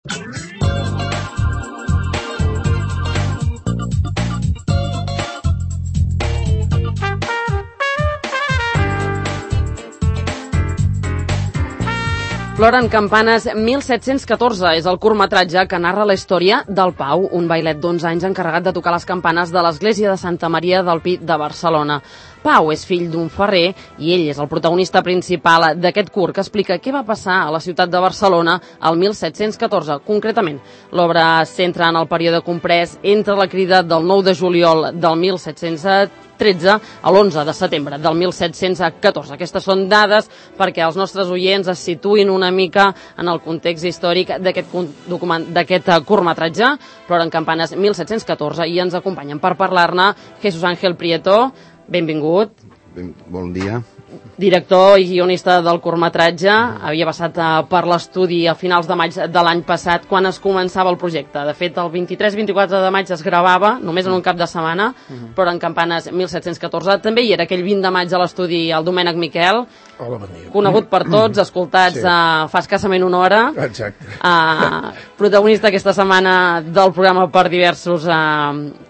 Ploren campanes 1714 és el curtmetratge que narra la història del Pau, un bailet d'11 anys encarregat de tocar les campanes de l'església de Santa Maria del Pi de Barcelona. Pau és fill d'un ferrer i ell és el protagonista principal d'aquest curt que explica què va passar a la ciutat de Barcelona el 1714. Concretament, l'obra es centra en el període comprès entre la crida del 9 de juliol del 1713 a l'11 de setembre del 1714. Aquestes són dades perquè els nostres oients es situïn una mica en el context històric d'aquest curtmetratge, Ploren campanes 1714, i ens acompanyen per parlar-ne Jesús Ángel Prieto. Benvingut. Bon dia. Director i guionista del curtmetratge, havia passat per l'estudi a finals de maig de l'any passat, quan es començava el projecte. De fet, el 23-24 de maig es gravava, només en un cap de setmana, però en campanes 1714. També hi era aquell 20 de maig a l'estudi el Domènec Miquel, hola, bon dia. Conegut per tots, escoltats fa escassament una hora. Exacte. Protagonista aquesta setmana del programa per diversos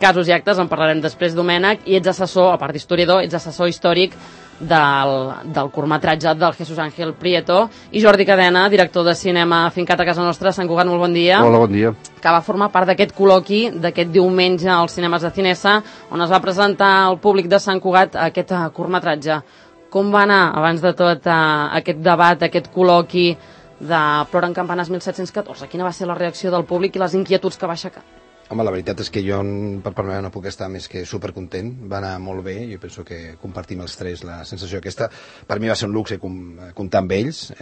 casos i actes, en parlarem després, Domènec, i ets assessor, a part d'historiador, ets assessor històric del curtmetratge del Jesús Ángel Prieto, i Jordi Cadena, director de cinema fincat a casa nostra. Sant Cugat, molt bon dia. Hola, bon dia. Que va formar part d'aquest col·loqui d'aquest diumenge als cinemes de Cinesa, on es va presentar al públic de Sant Cugat aquest curtmetratge. Com va anar, abans de tot, aquest debat, aquest col·loqui de Ploren campanes 1714? Quina va ser la reacció del públic i les inquietuds que va aixecar? Home, la veritat és que jo, per part meva, no puc estar més que supercontent. Va anar molt bé, jo penso que compartim els tres la sensació aquesta. Per mi va ser un luxe comptar amb ells.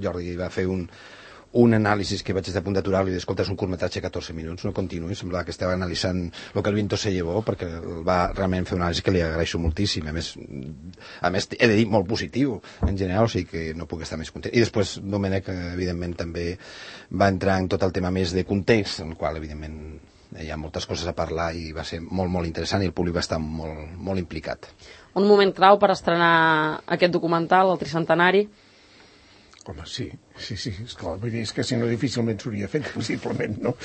Jordi va fer un anàlisi que vaig estar a punt d'aturar i d'escoltar, és un curtmetratge de 14 minuts, no continuï, semblava que estava analitzant el que el viento se llevó, perquè va realment fer una anàlisi que li agraeixo moltíssim, a més he de dir molt positiu en general, o sigui que no puc estar més content. I després Domènec, evidentment, també va entrar en tot el tema més de context, en el qual, evidentment, hi ha moltes coses a parlar i va ser molt, molt interessant, i el públic va estar molt, molt implicat. Un moment clau per estrenar aquest documental, el tricentenari? Home, sí, esclar, vull dir, és que si no difícilment s'hauria fet, possiblement, no?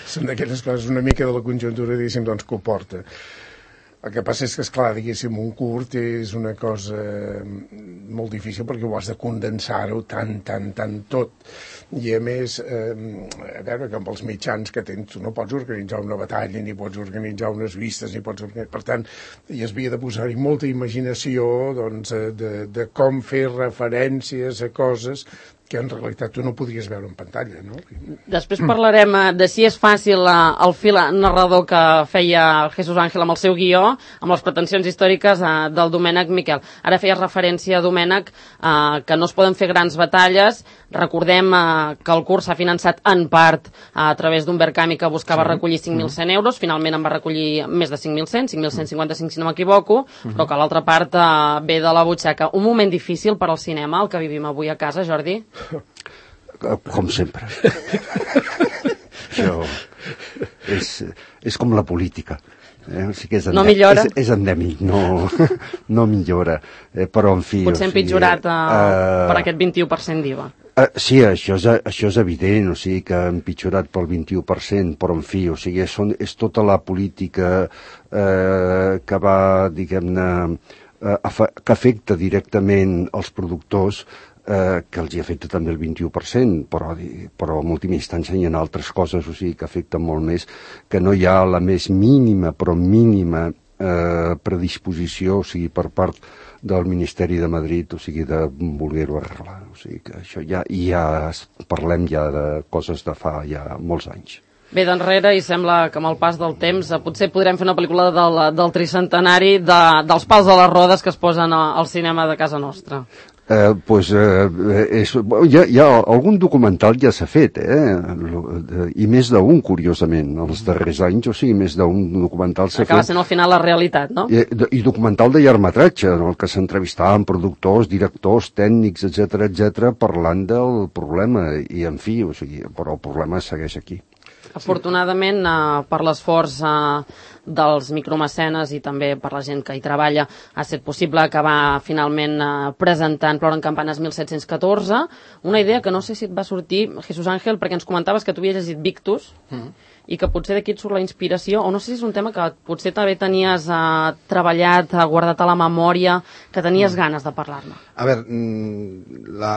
Són d'aquelles coses una mica de la conjuntura, diguéssim, doncs, que ho porta. El que passa és que, esclar, diguéssim, un curt és una cosa molt difícil perquè ho has de condensar-ho tant tot. I a més, a veure, que amb els mitjans que tens tu no pots organitzar una batalla, ni pots organitzar unes vistes, ni pots organitzar... Per tant, hi havia de posar-hi molta imaginació, doncs, de com fer referències a coses que en realitat tu no podries veure en pantalla, no? Després parlarem de si és fàcil el fil narrador que feia el Jesús Ángel amb el seu guió, amb les pretensions històriques del Domènec Miquel. Ara feies referència, Domènec, que no es poden fer grans batalles. Recordem que el curs s'ha finançat en part a través d'un Verkami que buscava recollir 5.100 euros, finalment en va recollir més de 5.100, 5.155 si no m'equivoco, però que l'altra part ve de la butxaca. Un moment difícil per al cinema, el que vivim avui a casa, Jordi? Com sempre. Això és com la política. O sigui que no millora? És endèmic, no millora. Però, en fi... Potser empitjorat per aquest 21% d'IVA. Sí, això és evident, o sigui que ha empitjorat pel 21%, però, en fi, o sigui, és tota la política que va, diguem-ne, que afecta directament els productors, que els hi afecta també el 21%, però en última instància hi ha altres coses, o sigui, que afecten molt més, que no hi ha la més mínima, però mínima predisposició, o sigui, per part del Ministeri de Madrid, o sigui, de voler-ho arreglar. O sigui, que això ja parlem ja de coses de fa ja molts anys. Ve d'enrere i sembla que amb el pas del temps potser podrem fer una pel·lícula del tricentenari, dels pals de les rodes que es posen al cinema de casa nostra. Hi ha algun documental ja s'ha fet, i més d'un, curiosament, els darrers anys, o sigui, més d'un documental s'ha fet. Acaba sent al final la realitat, no? I documental de llargmetratge, en el que s'entrevistaven productors, directors, tècnics, etc., parlant del problema, i en fi, o sigui, però el problema segueix aquí. Afortunadament, per l'esforç dels micromecenes i també per la gent que hi treballa ha estat possible acabar finalment presentant Ploren campanes 1714, una idea que no sé si et va sortir, Jesús Ángel, perquè ens comentaves que tu havies llegit Victus i que potser d'aquí et surt la inspiració, o no sé si és un tema que potser també tenies treballat, guardat a la memòria, que tenies ganes de parlar-ne. A veure,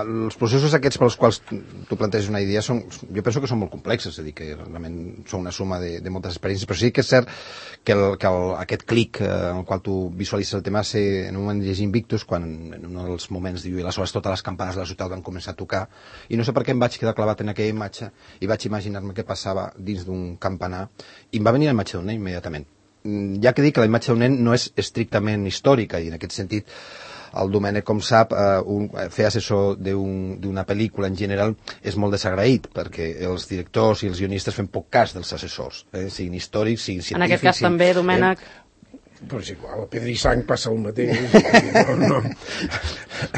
els processos aquests pels quals tu planteges una idea jo penso que són molt complexes, és a dir, que realment són una suma de moltes experiències, però sí que és cert que aquest clic en el qual tu visualitzes el tema ser en un moment llegint Victus, quan en un dels moments diu i aleshores totes les campanes de la ciutat van començar a tocar, i no sé per què em vaig quedar clavat en aquella imatge i vaig imaginar-me què passava dins d'un campanar, i em va venir la imatge d'un nen immediatament. Ja que dic que la imatge d'un nen no és estrictament històrica, i en aquest sentit el Domènec, com sap, fer assessor d'una pel·lícula en general és molt desagraït, perquè els directors i els guionistes fem poc cas dels assessors, siguin històrics, siguin científics... En aquest cas també, Domènec... Però és igual, a Pedra i Sang passa el mateix. No.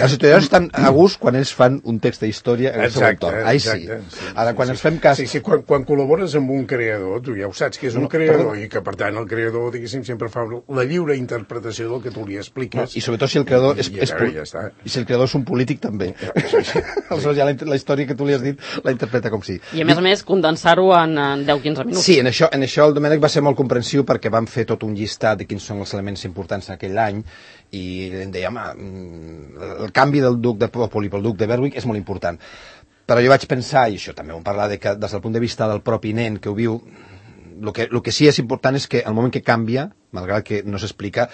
Els historiadors estan a gust quan ells fan un text de història en el seu entorn. Ai, sí. Ara, quan ens fem cas... Sí, quan col·labores amb un creador, tu ja ho saps que és un creador, i que, per tant, el creador, diguéssim, sempre fa la lliure interpretació del que tu li expliques. I sobretot si el creador i si el creador és un polític, també. Aleshores ja la història que tu li has dit la interpreta com si. I, a més, condensar-ho en 10-15 minuts. Sí, en això el Domènec va ser molt comprensiu, perquè vam fer tot un llistat de quins són els elements importants en aquell any, i em deia, el canvi del duc de Popoli pel duc de Berwick és molt important. Però jo vaig pensar, i això també ho hem parlat, que des del punt de vista del propi nen que ho viu, el que sí és important és que al moment que canvia, malgrat que no s'explica,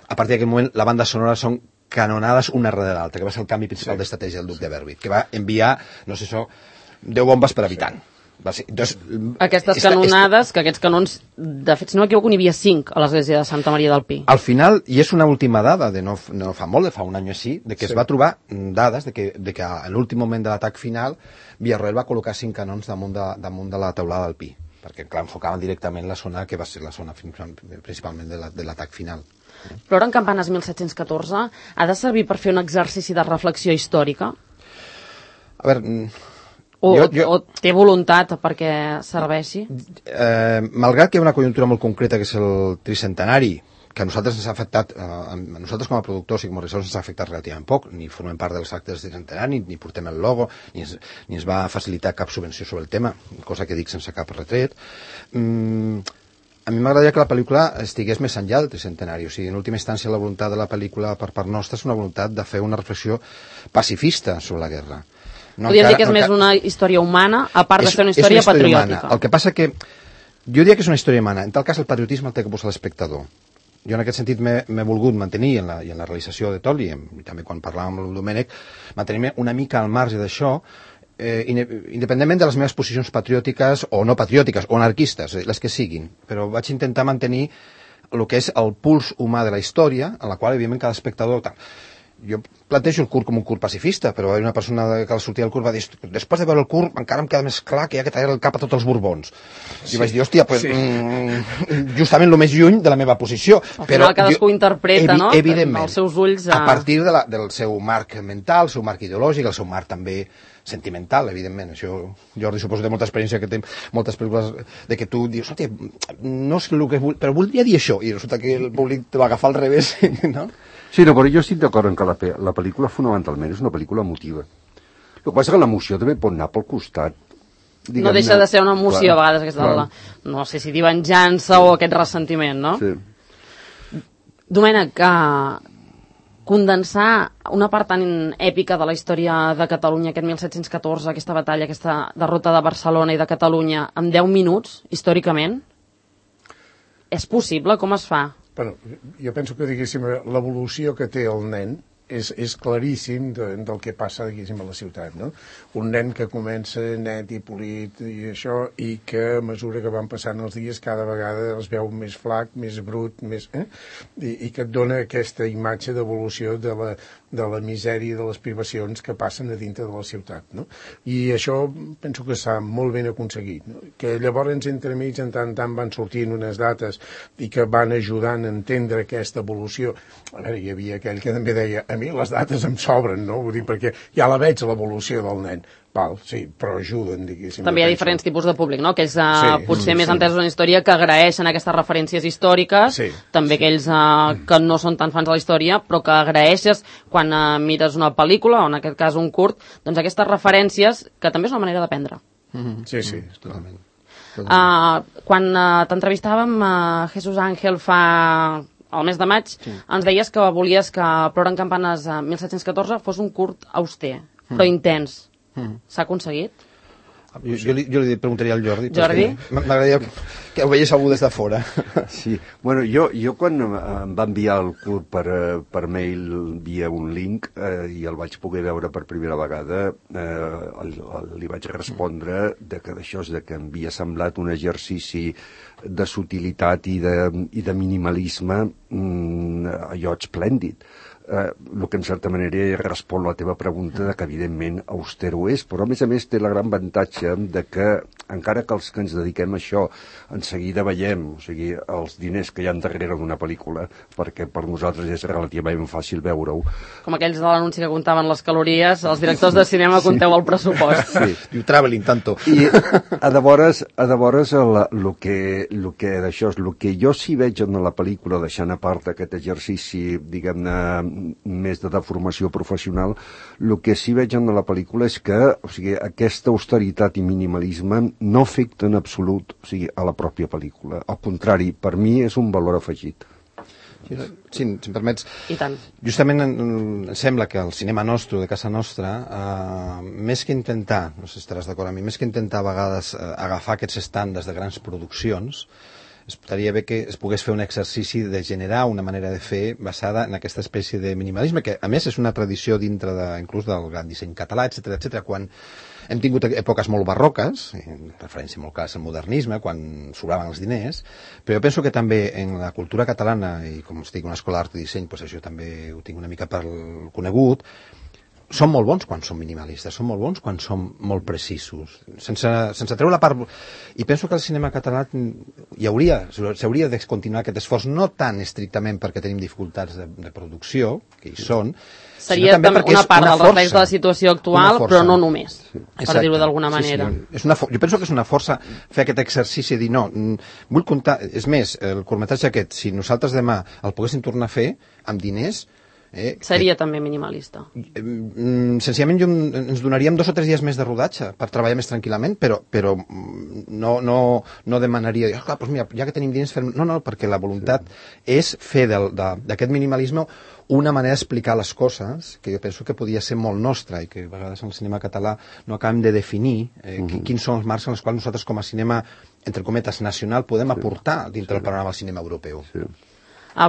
a partir d'aquest moment la banda sonora són canonades una darrere l'altra, que va ser el canvi principal d'estratègia del duc de Berwick, que va enviar, no sé això, 10 bombes per habitant. Entonces, aquestes canonades, que aquests canons, de fet, si no m'equivoco, n'hi havia 5 a l'església de Santa Maria del Pi. Al final, i és una última dada, no fa molt, fa un any o així, de que es va trobar dades de que en l'últim moment de l'atac final Villarroel va col·locar 5 canons damunt de la teulada del Pi, perquè clar, enfocaven directament la zona que va ser la zona principalment de l'atac final. Ploren campanes 1714 ha de servir per fer un exercici de reflexió històrica? A veure... O té voluntat perquè serveixi? Malgrat que hi ha una conjuntura molt concreta, que és el tricentenari, que a nosaltres ens ha afectat, a nosaltres com a productors i com a regissors ens ha afectat relativament poc, ni formem part dels actes del tricentenari, ni portem el logo, ni ens va facilitar cap subvenció sobre el tema, cosa que dic sense cap retret. A mi m'agradaria que la pel·lícula estigués més enllà del tricentenari, o sigui, en última instància la voluntat de la pel·lícula per part nostra és una voluntat de fer una reflexió pacifista sobre la guerra. Podríem dir que és més una història humana, a part de ser una història patriòtica. El que passa que jo diria que és una història humana. En tal cas, el patriotisme el té que posar l'espectador. Jo en aquest sentit m'he volgut mantenir, i en la realització de tot, i també quan parlàvem amb el Domènec, mantenir-me una mica al marge d'això, independentment de les meves posicions patriòtiques o no patriòtiques, o anarquistes, les que siguin. Però vaig intentar mantenir el que és el puls humà de la història, en la qual, evidentment, cada espectador... Jo plantejo el curt com un curt pacifista, però una persona que al sortir del curt va dir, després de veure el curt encara em queda més clar que hi ha que tallar el cap a tots els Borbons. I vaig dir, hòstia, pues, justament el més lluny de la meva posició. Al final cadascú interpreta, no? Evidentment, els seus ulls a partir del seu marc mental, el seu marc ideològic, el seu marc també sentimental, evidentment. Això, Jordi, suposo que té molta experiència, que té moltes pel·lícules de que tu dius, hòstia, no és el que vull, però voldria dir això, i resulta que el públic te va agafar al revés, no? Sí, no, però jo estic d'acord en que la pel·lícula fonamentalment és una pel·lícula emotiva. El que passa que l'emoció també pot anar pel costat. No deixa de ser una emoció, a vegades, aquesta no sé si dir venjança o aquest ressentiment, no? Sí. Domènec, condensar una part tan èpica de la història de Catalunya, aquest 1714, aquesta batalla, aquesta derrota de Barcelona i de Catalunya, en 10 minuts, històricament, és possible? Com es fa? Bueno, jo penso que, diguéssim, l'evolució que té el nen és claríssim del que passa, diguéssim, a la ciutat, no? Un nen que comença net i polit i això, i que a mesura que van passant els dies cada vegada es veu més flac, més brut, més... I que et dona aquesta imatge d'evolució de la misèria i de les privacions que passen a dintre de la ciutat, no? I això penso que s'ha molt ben aconseguit, no? Que llavors entremig en tant van sortint unes dates i que van ajudant a entendre aquesta evolució. A veure, hi havia aquell que també deia, a mi les dates em sobren, no? Vull dir, perquè ja la veig, l'evolució del nen. Val, sí, però ajuden, diguéssim. També hi ha diferents tipus de públic, no? Aquells potser més entesos en història que agraeixen aquestes referències històriques, també aquells que no són tan fans de la història, però que agraeixes quan mires una pel·lícula, o en aquest cas un curt, doncs aquestes referències, que també és una manera d'aprendre. Sí, totalment. Quan t'entrevistàvem a Jesús Ángel al mes de maig, ens deies que volies que Ploren campanes 1714 fos un curt auster, però intens. S'ha aconseguit? Jo li preguntaria al Jordi. Jordi? M'agradaria que ho veiés algú des de fora. Sí, bueno, jo quan em va enviar el curt per mail via un link i el vaig poder veure per primera vegada, li vaig respondre que d'això és que em havia semblat un exercici de sutilitat i de minimalisme allò esplèndid. El que en certa manera respon a la teva pregunta de que evidentment austero és, però a més té la gran avantatge de que encara que els que ens dediquem a això en seguida veiem, o sigui, els diners que hi ha darrere d'una pel·lícula, perquè per nosaltres és relativament fàcil veure-ho. Com aquells de l'anunci que comptaven les calories, els directors de cinema compteu el pressupost. Sí, diu traveling tanto. I a de vores el que jo sí veig en la pel·lícula, deixant a part aquest exercici, diguem-ne, més de deformació professional, el que sí veig en la pel·lícula és que, o sigui, aquesta austeritat i minimalisme no afecta en absolut, o sigui, a la pròpia pel·lícula. Al contrari, per mi és un valor afegit. Si em permets, I tant. Justament em sembla que el cinema nostre, de casa nostra, més que intentar, no sé si estaràs d'acord amb mi, més que intentar a vegades agafar aquests estàndards de grans produccions, estaria bé que es pogués fer un exercici de generar una manera de fer basada en aquesta espècie de minimalisme, que a més és una tradició dintre inclús del gran disseny català, etc. Quan hem tingut èpoques molt barroques, en referència molt clara al modernisme, quan sobraven els diners, però jo penso que també en la cultura catalana, i com estic en una escola d'art i disseny, doncs això també ho tinc una mica per conegut, són molt bons quan són minimalistes, són molt bons quan són molt precisos, sense treure la part... I penso que el cinema català s'hauria de continuar aquest esforç, no tan estrictament perquè tenim dificultats de producció, que hi són, seria també una part del reflex de la situació actual, però no només, per dir-ho d'alguna manera. Sí. Jo penso que és una força fer aquest exercici de dir, no, vull comptar... És més, el curtmetratge aquest, si nosaltres demà el poguéssim tornar a fer amb diners, seria també minimalista. Senzillament ens donaríem 2 o 3 dies més de rodatge per treballar més tranquil·lament, però no demanaria, doncs mira, ja que tenim diners, no, perquè la voluntat és fer d'aquest minimalisme una manera d'explicar les coses que jo penso que podia ser molt nostra i que a vegades en el cinema català no acabem de definir quins són els marcs en els quals nosaltres com a cinema, entre cometes, nacional, podem aportar dintre del panorama del cinema europeu.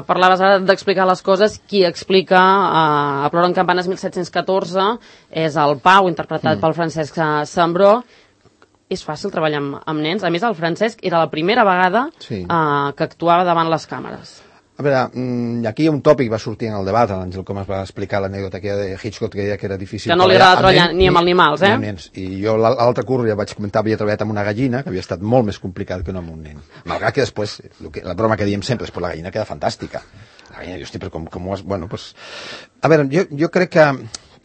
Parlaves ara d'explicar les coses. Qui explica a Ploren campanes 1714 és el Pau, interpretat pel Francesc Sambró. És fàcil treballar amb nens. A més, el Francesc era la primera vegada que actuava davant les càmeres. A veure, aquí hi ha un tòpic, va sortir en el debat, l'Àngel com es va explicar l'anècdota que de Hitchcock, que deia que era difícil... Que no li agrada treballar ni amb animals, I jo l'altre curs ja vaig comentar, havia treballat amb una gallina, que havia estat molt més complicat que no amb un nen. Malgrat que després, la broma que diem sempre és, la gallina queda fantàstica. La gallina, hosti, però com ho has... Bueno, pues... A veure, jo crec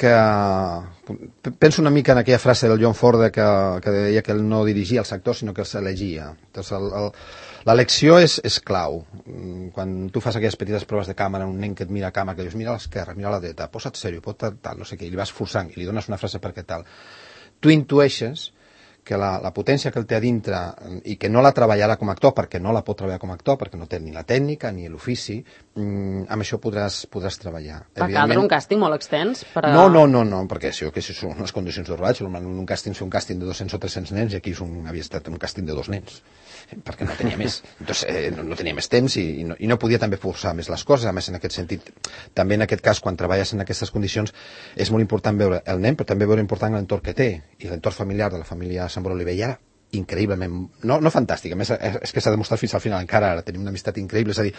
que penso una mica en aquella frase del John Ford que deia que ell no dirigia els actors, sinó que els elegia. L'elecció és clau. Quan tu fas aquelles petites proves de càmera, un nen que et mira a càmera, que dius, mira a l'esquerra, mira a la dreta, posa't sèrio, tal, no sé què, i li vas forçant, i li dones una frase perquè tal. Tu intueixes que la potència que el té a dintre i que no la treballarà com a actor, perquè no la pot treballar com a actor, perquè no té ni la tècnica ni l'ofici, amb això podràs treballar. Va caldre un càsting molt extens? No, perquè això són les condicions de rodatge. Un càsting és un càsting de 200 o 300 nens i aquí havia estat un càsting de 2 nens, perquè no tenia més. No tenia més temps i no podia també forçar més les coses. A més, en aquest sentit, també en aquest cas, quan treballes en aquestes condicions, és molt important veure el nen, però també veure important l'entorn que té, i l'entorn familiar de la família Sambró Olivella, increïblement, no fantàstic, a més és que s'ha demostrat fins al final, encara ara tenim una amistat increïble, és a dir,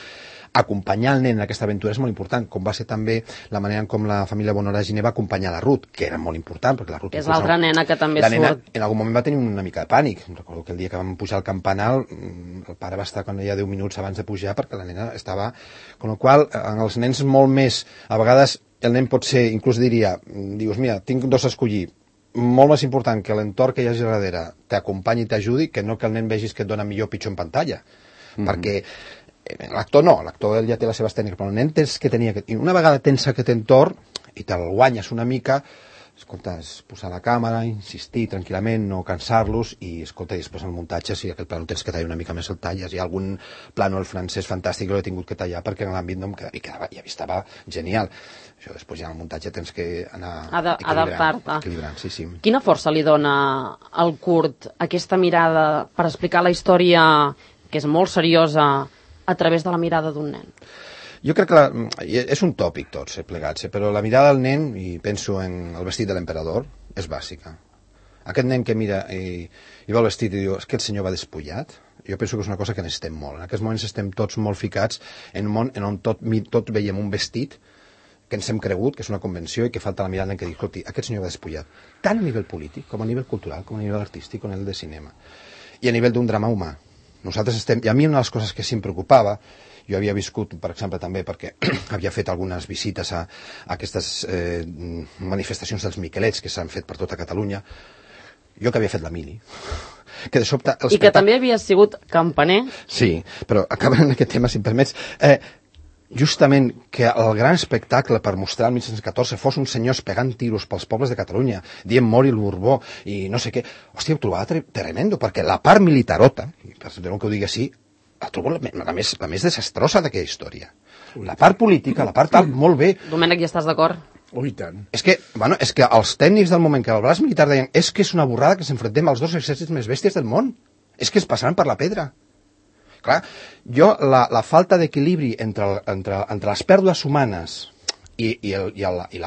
acompanyar el nen en aquesta aventura és molt important, com va ser també la manera en com la família Bonora Giner va acompanyar la Ruth, que era molt important, perquè la Ruth... És l'altra nena que també surt. La nena en algun moment va tenir una mica de pànic, recordo que el dia que vam pujar al campanar, el pare va estar quan ella 10 minuts abans de pujar, perquè la nena estava... Con la qual en els nens molt més, a vegades el nen pot ser, inclús dius, mira, tinc 2 a escollir, molt més important que l'entorn que hi hagi darrere t'acompanyi i t'ajudi que no que el nen vegis que et dona millor o pitjor en pantalla. Perquè l'actor no, l'actor ja té les seves tècniques, però el nen tens que tenir... I una vegada tens aquest entorn i te'l guanyes una mica, escolta, és posar la càmera, insistir tranquil·lament, no cansar-los i, escolta, i després el muntatge, si aquest plano tens que tallar una mica més el talles. Hi ha algun plano al francès fantàstic que l'he tingut que tallar perquè en l'àmbit no em quedava, i estava genial. Això després ja en el muntatge tens que anar equilibrant. Sí. Quina força li dona al curt aquesta mirada per explicar la història, que és molt seriosa, a través de la mirada d'un nen? Jo crec que és un tòpic tots plegats, però la mirada del nen, i penso en el vestit de l'emperador, és bàsica. Aquest nen que mira i veu el vestit i diu és que el senyor va despullat, jo penso que és una cosa que necessitem molt. En aquests moments estem tots molt ficats en un món on tot veiem un vestit que ens hem cregut, que és una convenció i que falta la mirada en què diu, escolti, aquest senyor va despullat, tant a nivell polític com a nivell cultural, com a nivell artístic, com a nivell de cinema. I a nivell d'un drama humà. Nosaltres estem... I a mi una de les coses que sí em preocupava, jo havia viscut, per exemple, també perquè havia fet algunes visites a aquestes manifestacions dels Miquelets que s'han fet per tota Catalunya, jo que havia fet la mili, que de sobte... I que també havia sigut campaner. Sí, però acabant en aquest tema, si em permets, justament que el gran espectacle per mostrar el 1914 fos uns senyors pegant tiros pels pobles de Catalunya, dient mori el Borbó i no sé què, hòstia, ho trobava tremendo, perquè la part militarota, i perdoneu que ho digui així, la trobo la més desastrosa d'aquella història. La part política, la part tal, molt bé. Domènec, ja estàs d'acord? Oh, i tant. És que els tècnics del moment que el braç militar deien és que és una borrada que s'enfrontem als dos exèrcits més bèsties del món. És que es passaran per la pedra. Clar, jo la falta d'equilibri entre les pèrdues humanes i el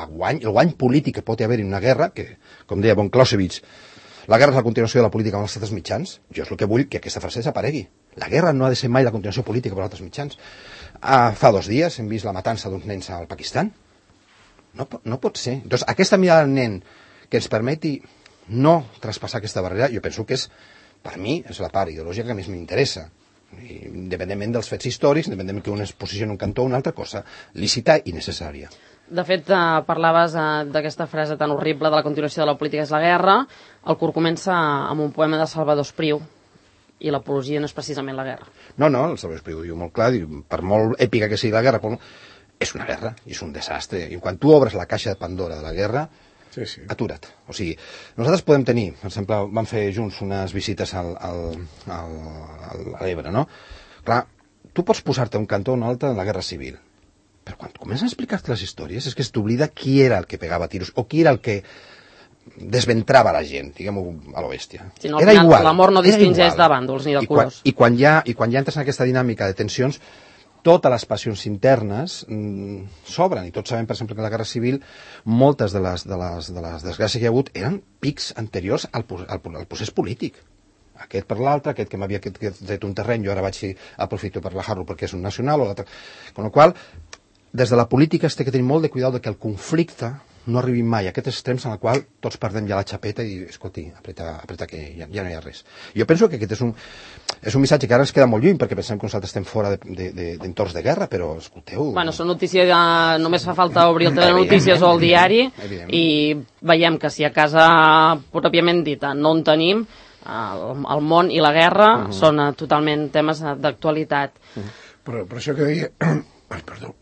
guany polític que pot haver en una guerra, que, com deia von Clausewitz, la guerra és la continuació de la política amb els altres mitjans, jo és el que vull que aquesta frase desaparegui. La guerra no ha de ser mai la continuació política per als altres mitjans. Fa 2 dies hem vist la matança d'uns nens al Pakistan. No pot ser. Doncs aquesta mirada del nen que ens permeti no traspassar aquesta barrera, jo penso que és, per mi, és la part ideològica que més m'interessa. Independentment dels fets històrics, independentment que un es posicioni en un cantó o una altra cosa, lícita i necessària. De fet, parlaves d'aquesta frase tan horrible de la continuació de la política és la guerra. El curt comença amb un poema de Salvador Espriu, i l'apologia no és precisament la guerra. No, el Salvador Espriu diu molt clar, diu, per molt èpica que sigui la guerra, és una guerra, i és un desastre. I quan tu obres la caixa de Pandora de la guerra, sí. Atura't. O sigui, nosaltres podem tenir, per exemple, vam fer junts unes visites a l'Ebre, no? Clar, tu pots posar-te un cantó o un altre en la guerra civil, però quan comencen a explicar-te les històries és que es t'oblida qui era el que pegava tiros o qui era el que desventrava la gent, diguem-ho a lo bèstia. Si no, al final l'amor no distingeix de bàndols ni de colors. I quan ja entres en aquesta dinàmica de tensions, totes les passions internes s'obren, i tots sabem, per exemple, que en la Guerra Civil moltes de les desgràcies que hi ha hagut eren pics anteriors al procés polític. Aquest per l'altre, aquest que m'havia tret un terreny, jo ara aprofito per bajar-lo perquè és un nacional, o l'altre. Con la qual des de la política es té que tenir molt de cuidado que el conflicte no arribi mai a aquests extrems en el qual tots perdem ja la xapeta i, escolti, apreta que ja no hi ha res. Jo penso que aquest és un missatge que ara ens queda molt lluny, perquè pensem que nosaltres estem fora d'entorns de guerra, però, escolteu... Bueno, són notícies, només fa falta obrir el telenotícies o el diari, i veiem que si a casa, pròpiament dita, no en tenim, el món i la guerra són totalment temes d'actualitat. Però això que deia... Ai, perdó.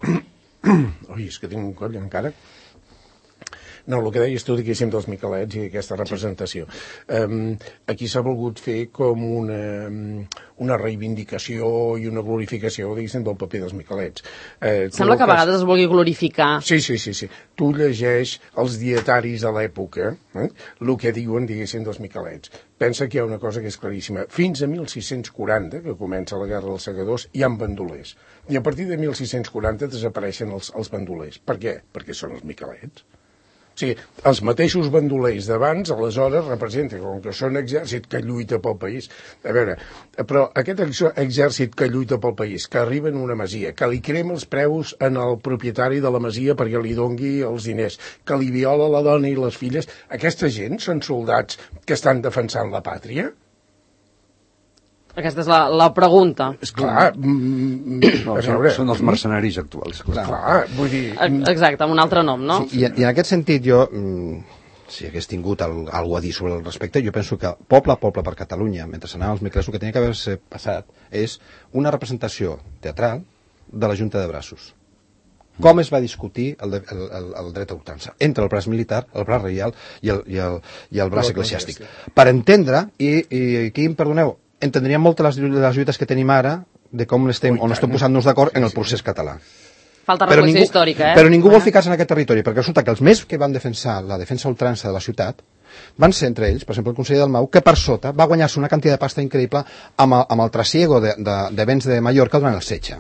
Ui, és que tinc un coll encara. No, el que deies tu, diguéssim, dels Miquelets i d'aquesta representació. Aquí s'ha volgut fer com una reivindicació i una glorificació, diguéssim, del paper dels Miquelets. Sembla que a vegades es vulgui glorificar. Sí. Tu llegeix els dietaris de l'època, el que diuen, diguéssim, dels Miquelets. Pensa que hi ha una cosa que és claríssima. Fins a 1640, que comença la Guerra dels Segadors, hi ha bandolers. I a partir de 1640 desapareixen els bandolers. Per què? Perquè són els Miquelets. O sigui, els mateixos bandolers d'abans, aleshores, representen, com que són exèrcit que lluita pel país. A veure, però aquest exèrcit que lluita pel país, que arriba en una masia, que li crema els preus en el propietari de la masia perquè li dongui els diners, que li viola la dona i les filles, aquesta gent són soldats que estan defensant la pàtria? Aquesta és la pregunta. Esclar, són els mercenaris actuals. Clar, vull dir... Exacte, amb un altre nom, no? Sí, i en aquest sentit jo si hagués tingut alguna a dir sobre el respecte, jo penso que poble per Catalunya, mentre s'anaven els micles, el que tenia que haver-se passat és una representació teatral de la Junta de Braços. Com es va discutir el dret a ultrança entre el braç militar, el braç reial i el braç eclesiàstic. Per entendre, i aquí em perdoneu, entendríem molt les lluites que tenim ara de com estem, on estem posant-nos d'acord en el procés català. Falta reflexió històrica, Però ningú vol ficar-se en aquest territori, perquè resulta que els més que van defensar la defensa ultrança de la ciutat van ser entre ells, per exemple, el conseller Dalmau, que per sota va guanyar-se una quantitat de pasta increïble amb el trasiego de béns de Mallorca durant el setge.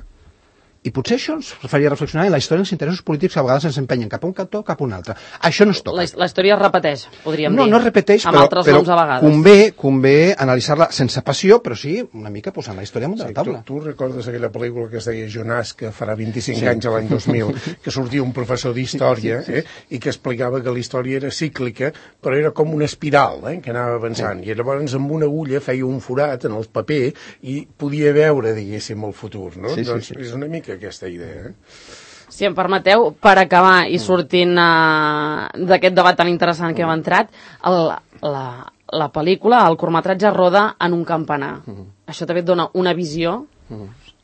I potser això ens faria reflexionar en la història dels interessos polítics que a vegades ens empenyen cap a un cantó o cap a un altre. Això no es toca. La història es repeteix, podríem dir. No es repeteix, amb altres noms a vegades. Convé analitzar-la sense passió, però sí una mica posant la història damunt de la taula. Tu recordes aquella pel·lícula que es deia Jonàs, que farà 25 anys a l'any 2000, que sortia un professor d'història i que explicava que la història era cíclica, però era com una espiral que anava avançant. I llavors amb una agulla feia un forat en el paper i podia veure, diguéssim, el futur. No? Doncs és una mica aquesta idea. Si em permeteu, per acabar i sortint d'aquest debat tan interessant que hem entrat, la pel·lícula, el curtmetratge roda en un campanar. Això també et dona una visió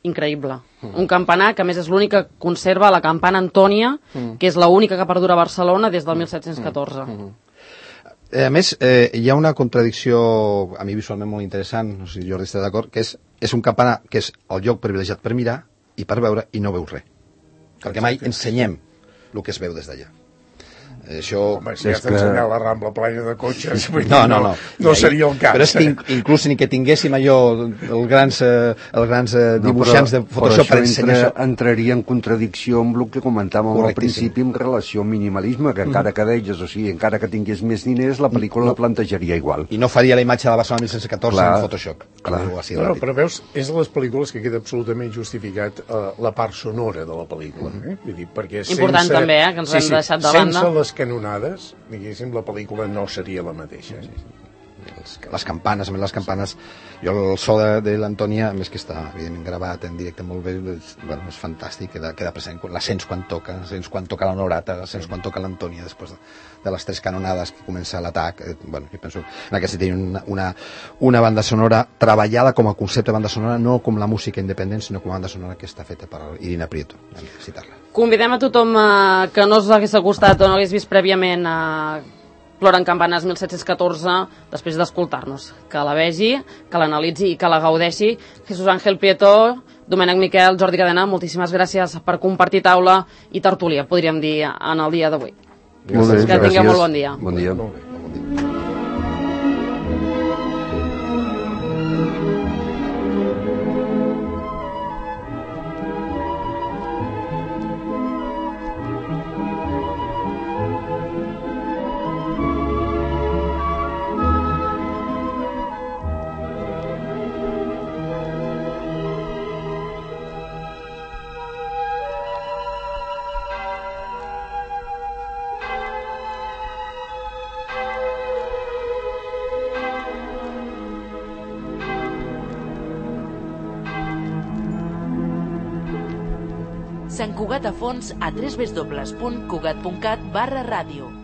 increïble. Un campanar que a més és l'únic que conserva la campana Antònia, que és l'única que perdura a Barcelona des del 1714. A més, hi ha una contradicció a mi visualment molt interessant, no sé si Jordi està d'acord, que és un campanar que és el lloc privilegiat per mirar i per veure i no veus res. Perquè mai ensenyem el que es veu des d'allà. Això... Home, si has d'ensenyar la Rambla plena de cotxes, no seria el cas. Però és que inclús ni que tinguéssim allò, els grans dibuixants de Photoshop per ensenyar això. Entraria en contradicció amb el que comentàvem al principi en relació al minimalisme, que encara que deies, o sigui, encara que tingués més diners, la pel·lícula la plantejaria igual. I no faria la imatge de la Barcelona 1714 en Photoshop. No, però veus, és de les pel·lícules que queda absolutament justificat la part sonora de la pel·lícula. Vull dir, perquè important també, que ens hem deixat de banda. Sense les canonades, diguéssim, la pel·lícula no seria la mateixa. Les campanes, a més les campanes, jo el so de l'Antònia, a més que està evidentment gravat en directe molt bé, és fantàstic, queda present, la sents quan toca, quan toca l'honorata, la sents quan toca l'Antònia després de les 3 canonades que comença l'atac. Jo penso en aquest sentit una banda sonora treballada com a concepte de banda sonora, no com la música independent, sinó com a banda sonora que està feta per Irina Prieto, hem de citar-la. Convidem a tothom que no s'hagués acostat o no hagués vist prèviament Ploren campanes 1714, després d'escoltar-nos, que la vegi, que l'analitzi i que la gaudeixi. Jesús Ángel Prieto, Domènec Miquel, Jordi Cadena, moltíssimes gràcies per compartir taula i tertúlia, podríem dir, en el dia d'avui. Que tingueu molt bon dia. Bon dia. Sant Cugat a fons a www.cugat.cat/ràdio.